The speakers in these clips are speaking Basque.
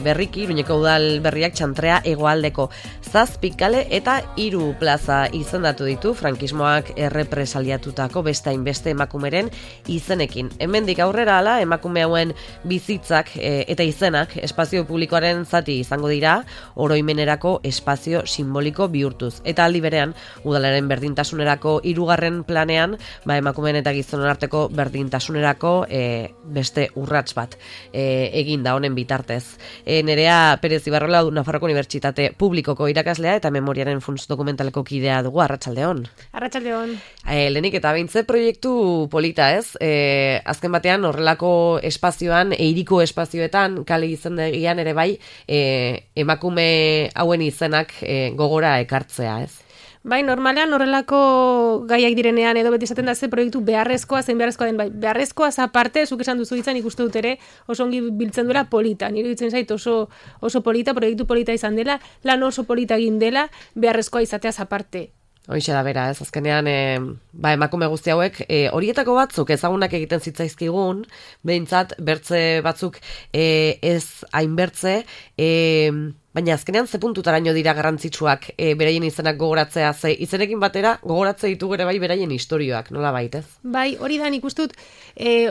Berriki, Iruñeko udal berriak Txantrea hegoaldeko 7 kale eta 3 plaza izendatu ditu frankismoak errepresaliatutako beste hainbeste emakumeren izenekin. Hemendik aurrera hala, emakume hauen bizitzak eta izenak espazio publikoaren zati izango dira, oroimenerako espazio simboliko bihurtuz. Eta aldi berean, udalaren berdintasunerako 3. planean, emakumeen eta gizonen arteko berdintasunerako beste urrats bat egin da honen bitartez. Nerea Perez Ibarrola Nafarroko Unibertsitate Publikoko irakaslea eta memoriaren funts dokumentaleko kidea dugu. Arratsaldeon. Arratsaldeon. Lehenik eta beintze proiektu polita, ez? Azken batean horrelako espazioan, hiriko espazioetan, kale izendegian ere bai, emakume hauen izenak gogora ekartzea, ez? Bai, normalean horrelako gaiak direnean edo beti esaten da ze proiektu beharrezkoa den, bai, beharrezkoaz aparte, zuk esan duzu hitzan ikuste dut ere, oso ongi biltzen duela polita. Nire iruditzen zait oso polita, proiektu polita izan dela, lan oso polita egin dela, beharrezkoa izateaz aparte. Hoixe da bera, ez azkenean emakume guzti hauek horietako batzuk ezagunak egiten zitzaizkigun, behintzat bertze batzuk ez hainbertze, baina azkenean ze puntutaraino dira garrantzitsuak beraien izenak gogoratzea, ze izenekin batera gogoratze ditugu ere bai beraien istorioak, nola baitez? Bai, hori da nik uste dut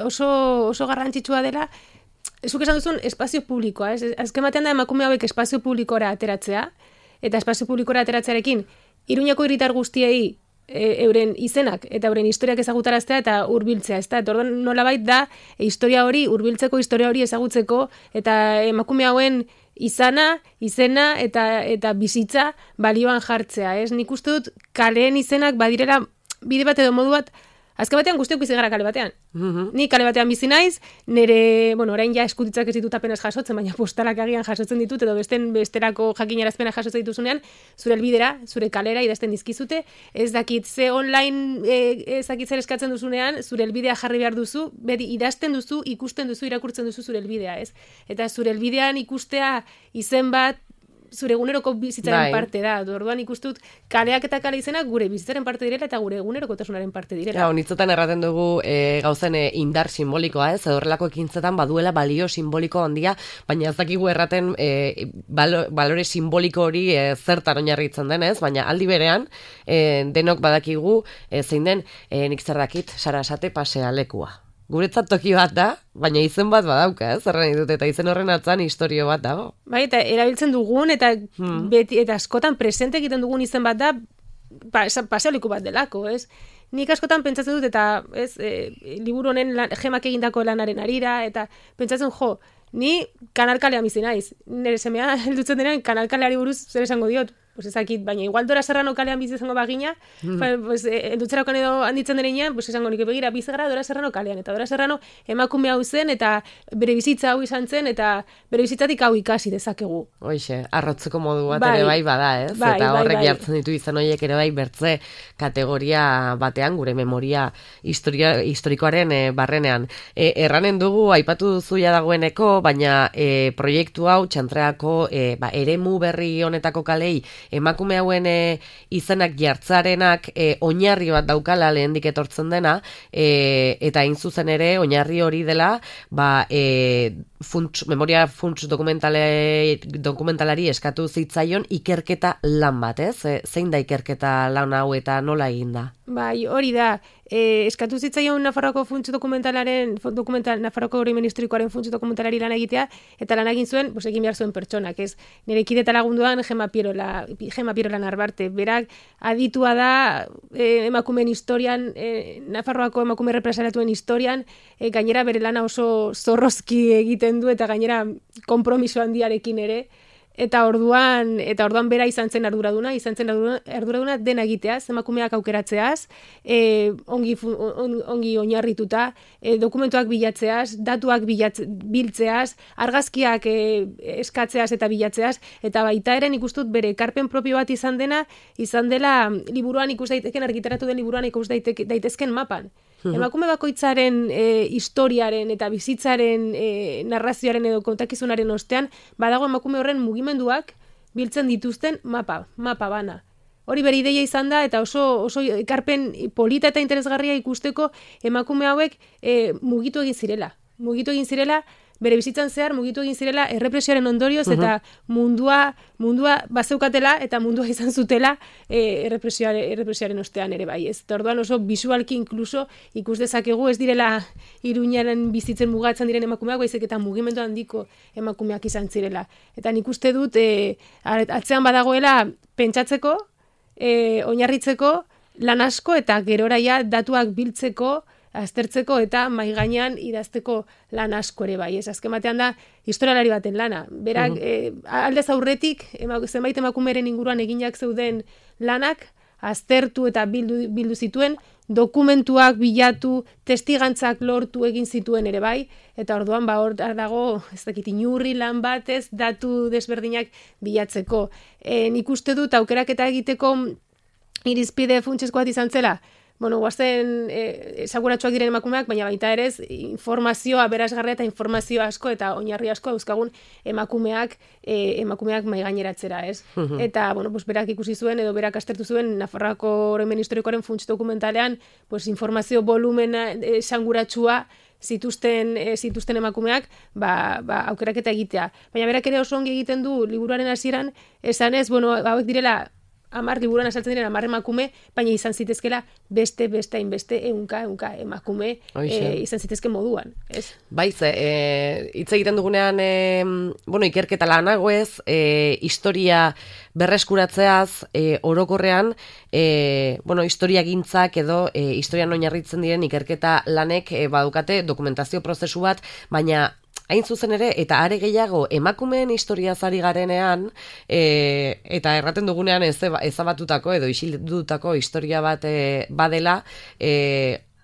oso garrantzitsua dela, zuk esan duzun espazio publikoa, ez? Azken batean da emakume hauek espazio publikora ateratzea, eta espazio publikora ateratzearekin Iruñeko hiritar guztiei euren izenak eta euren historiak ezagutaraztea eta hurbiltzea, ezta? Eta orduan nolabait da historia hori ezagutzeko eta emakume hauen izena eta bizitza balioan jartzea, ez? Nik uste dut kaleen izenak badirela bide bat edo modu bat. Azken batean guztiok bizi gara kale batean. Ni kale batean bizi naiz, nire, orain ja eskutitzak ez ditut apenas jasotzen, baina postalak agian jasotzen ditut, edo besterako jakinarazpena jasotzen dituzunean, zure helbidera, zure kalera idazten dizkizute, ez dakit ze online ez dakit zer eskatzen duzunean, zure helbidea jarri behar duzu, beti idazten duzu, ikusten duzu, irakurtzen duzu zure helbidea, ez? Eta zure helbidean ikustea izen bat, zure eguneroko bizitzaren parte da. Orduan ikustut kaleak eta kale izenak gure bizitzaren parte direla eta gure egunerokotasunaren parte direla. Honitzetan erraten dugu gauzen indar simbolikoa, ez? Horrelako ekintzetan baduela balio simboliko handia, baina ez dakigu erraten balore simboliko hori zertan oinarritzen den, ez? Baina aldi berean denok badakigu zein den nik zer dakit Sarasate pasealekua. Guretzat toki bat da, baina izen bat badauka, ez? Zerren ditut, eta izen horren atzan istorio bat dago. Bai, eta erabiltzen dugun, eta beti, eta askotan presente egiten dugun izen bat da, paseoliku bat delako, ez? Nik askotan pentsatzen dut, eta liburu honen Gemak egindako lanaren arira, eta pentsatzen ni kanalkalean bizi naiz. Nire semea heldutzen denean kanalkaleari buruz zer esango diot. Pues ezakit, baina igual Dora Serrano kalean bizi izango bagina, heldutzerakoan edo handitzen denean, pues esango nik begira bizi gara Dora Serrano kalean, eta Dora Serrano emakume hau zen, eta bere bizitza hau izan zen, eta bere bizitzatik hau ikasi dezakegu. Hoixe, arrotzeko modu bat ere bai bada, ez? Eta horrek jartzen ditu izan horiek ere bai bertze kategoria batean, gure memoria historikoaren barrenean. Erranen dugu, aipatu duzu ja dagoeneko, baina proiektu hau Txantreako eremu berri honetako kalei emakume hauen izenak jartzarenak oinarri bat daukala lehendik etortzen dena, eta hain zuzen ere oinarri hori dela memoria funts dokumentalari eskatu zitzaion ikerketa lan bat, ez? Zein da ikerketa lan hau eta nola egin da? Bai, hori da. Eskatu zitzaion Nafarroako funts Nafarroako oroimen historikoaren funts dokumentalari lan egitea, eta lan egin zuen, egin behar zuen pertsonak, ez? Nire kide eta lagunduan Gema Pierola Narbarte. Berak aditua da emakumeen historian, Nafarroako emakume represaliatuen historian, gainera bere lana oso zorrozki egiten du, eta gainera konpromiso handiarekin ere, eta orduan bera izan zen arduraduna dena egiteaz, emakumeak aukeratzeaz, ongi oinarrituta, dokumentuak bilatzeaz, datuak biltzeaz, argazkiak eskatzeaz eta bilatzeaz, eta baita ere nik uste dut bere ekarpen propio bat izan dela liburuan ikus daiteken, argitaratu den liburuan ikus daitezken mapan. Emakume bakoitzaren historiaren eta bizitzaren narrazioaren edo kontakizunaren ostean, badago emakume horren mugimenduak biltzen dituzten mapa bana. Hori bere ideia izan da, eta oso ekarpen polita eta interesgarria ikusteko emakume hauek mugitu egin zirela, bere bizitzan zehar mugitu egin zirela errepresioaren ondorioz eta mundua bazeukatela eta mundua izan zutela errepresioaren ostean ere bai, ez? Orduan oso visualki inkluso ikus dezakegu ez direla Iruñaren bizitzen mugatzen diren emakumeak, baizik eta mugimendu handiko emakumeak izan zirela. Eta nik uste dut atzean badagoela pentsatzeko, oinarritzeko lan asko eta geroraia datuak biltzeko, aztertzeko eta mahai gainean idazteko lan asko ere bai. Ez azken batean da historialari baten lana. Berak aldez aurretik zenbait emakumeren inguruan eginak zeuden lanak aztertu eta bildu zituen, dokumentuak bilatu, testigantzak lortu egin zituen ere bai, eta orduan hor dago, ez dakit, inurri lan batez, datu desberdinak bilatzeko. Nik uste dut aukeraketa egiteko irizpide funtsezkoa izan zela, guazen esaguratsuak diren emakumeak, baina baita ere informazioa berazgarria eta informazio asko eta oinarri asko dauzkagun emakumeak mai gaineratzera, ez? Eta, berak ikusi zuen edo berak aztertu zuen Nafarroako oroimen historikoaren funts dokumentalean, informazio volumena esanguratsua zituzten emakumeak, aukeraketa egitea. Baina berak ere oso ongi egiten du liburuaren hasieran, esanez, hauek direla 10 liburuan azaltzen diren 10 emakume, baina izan zitezkela beste hainbeste ehunka emakume izan zitezke moduan, ez? Bai, hitz egiten dugunean, ikerketa lanagoez, historia berreskuratzeaz, orokorrean, historiagintzak edo historian oinarritzen diren ikerketa lanek badukate dokumentazio prozesu bat, baina hain zuzen ere, eta are gehiago emakumeen historiaz ari garenean, eta erraten dugunean ezabatutako edo isildutako historia bat badela,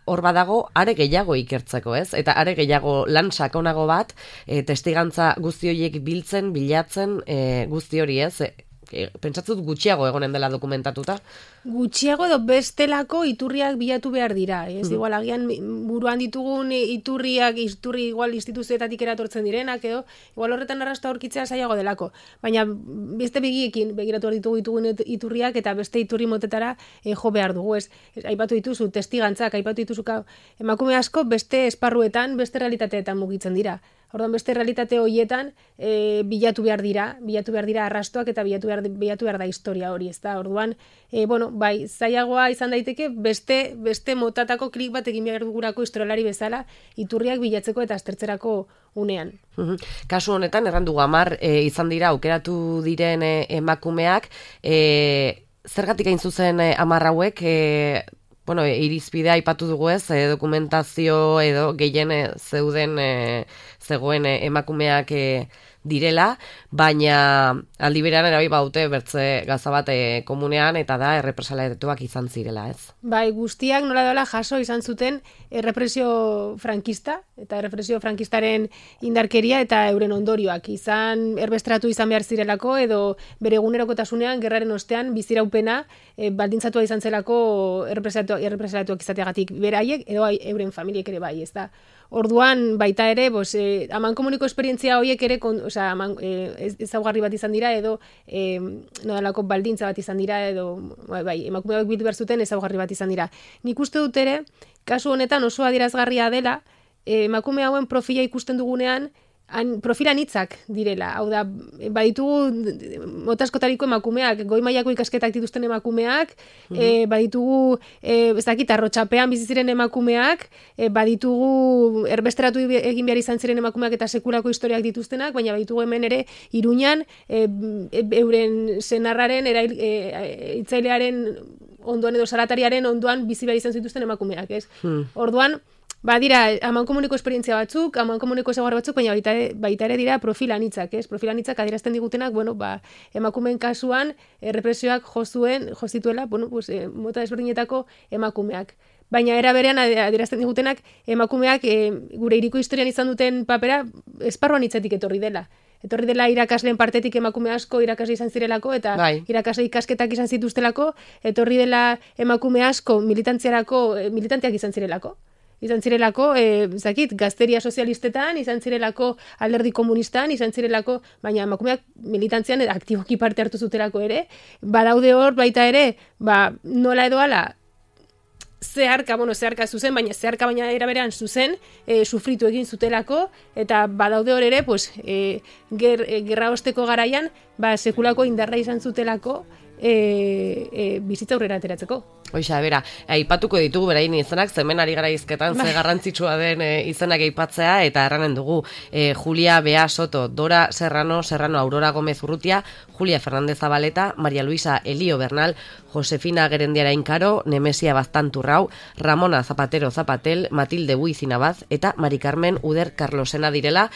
hor badago are gehiago ikertzeko, ez? Eta are gehiago lan sakonago bat, testigantza guzti horiek bilatzen guzti hori, ez? Pentsatzut gutxiago egonen dela dokumentatuta? Gutxiago edo bestelako iturriak bilatu behar dira. Ez igual agian buruan ditugun iturri igual instituzioetatik eratortzen direnak edo igual horretan arrasta aurkitzea zailago delako. Baina beste begiekin begiratu ditugun iturriak eta beste iturri motetara jo behar dugu. Aipatu dituzu testigantzak, aipatu dituzu emakume asko beste esparruetan, beste realitateetan mugitzen dira. Orduan beste realitate horietan bilatu behar dira arrastoak eta bilatu behar da historia hori, ezta? Orduan, bai, zailagoa izan daiteke beste motatako klik bat egin behar dugurako historialari bezala iturriak bilatzeko eta aztertzerako unean. Kasu honetan, errandu 10 izan dira aukeratu diren emakumeak, zergatik hain zuzen 10 hauek, irizpidea aipatu dugu ez, dokumentazio edo gehien zegoen emakumeak direla, baina aldi berean erabai baute bertze gaza bat komunean eta da errepresaliatuak izan zirela, ez? Bai, guztiak nola dola jaso izan zuten errepresio frankista eta errepresio frankistaren indarkeria eta euren ondorioak izan erbestratu izan behar zirelako edo bere egunerokotasunean gerraren ostean biziraupena baldintzatua izan zelako errepresaliatuak izateagatik beraiek edo euren familiek ere bai, ez da? Orduan baita ere, amankomuniko esperientzia horiek ere ezaugarri bat izan dira edo nodalako baldintza bat izan dira edo emakume hauek bildu behar zuten ezaugarri bat izan dira. Nik uste dut ere, kasu honetan oso adierazgarria dela, emakume hauen profila ikusten dugunean profil anitzak direla. Hau da, baditugu mota askotariko emakumeak, goi mailako ikasketak dituzten emakumeak, baditugu, arrotxapean bizi ziren emakumeak, baditugu erbesteratu egin behar izan ziren emakumeak eta sekulako historiak dituztenak, baina baditugu hemen ere Iruñan euren senarraren, hitzailearen ondoan edo salatariaren ondoan bizi behar izan zituzten emakumeak, ez? Orduan, badira, amankomuniko esperientzia batzuk, amankomuniko ezaugarri batzuk, baina baita ere dira profil anitzak, ez? Profil anitzak adierazten digutenak, emakumeen kasuan represioak jo zituela, mota desberdinetako emakumeak. Baina era berean adierazten digutenak emakumeak gure hiriko historian izan duten papera esparru anitzetik etorri dela. Etorri dela irakasleen partetik emakume asko irakasle izan zirelako eta irakasle ikasketak izan zituztelako, etorri dela emakume asko militanteak izan zirelako. Izan zirelako, gazteria sozialistetan, izan zirelako alderdi komunistan, izan zirelako, baina emakumeak militantzian aktiboki parte hartu zutelako ere, badaude hor baita ere, nola edo ala, zeharka zuzen, baina era berean zuzen, sufritu egin zutelako, eta badaude hor ere, pues, gerra osteko garaian, sekulako indarra izan zutelako, bizitza aurrera ateratzeko. Hoxa, bera, aipatuko ditugu berain izenak, zemen ari gara izketan, ze garrantzitsua den izenak aipatzea, eta erranen dugu Julia Bea Soto, Dora Serrano, Aurora Gómez Urrutia, Julia Fernández Zabaleta, María Luisa Elío Bernal, Josefina Gerendiara Inkaro, Nemesia Baztanturrau, Ramona Zapatero Zapatel, Matilde Buizinabaz, eta Mari Carmen Uder Carlosena direla,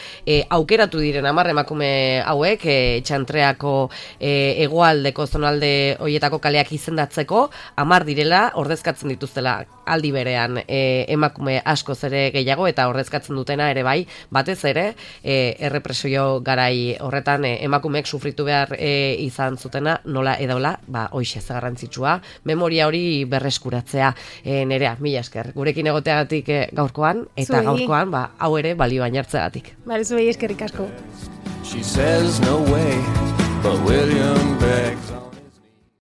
aukeratu diren 10 emakume hauek, Txantreako hegoaldeko zonalde hoietako kaleak izendatzeko, 10 direla, ordezkatzen dituztela aldi berean emakume askoz ere gehiago, eta ordezkatzen dutena ere bai, batez ere, errepresio garai horretan emakumeek sufritu behar izan zutena, nola edola, hoxe garrantzitsua, memoria hori berreskuratzea. Nerea, mila esker, gurekin egoteagatik gaurkoan, eta gaurkoan, hau ere balioan jartzeagatik. Zuei eskerrik asko. She says no way, but William Beck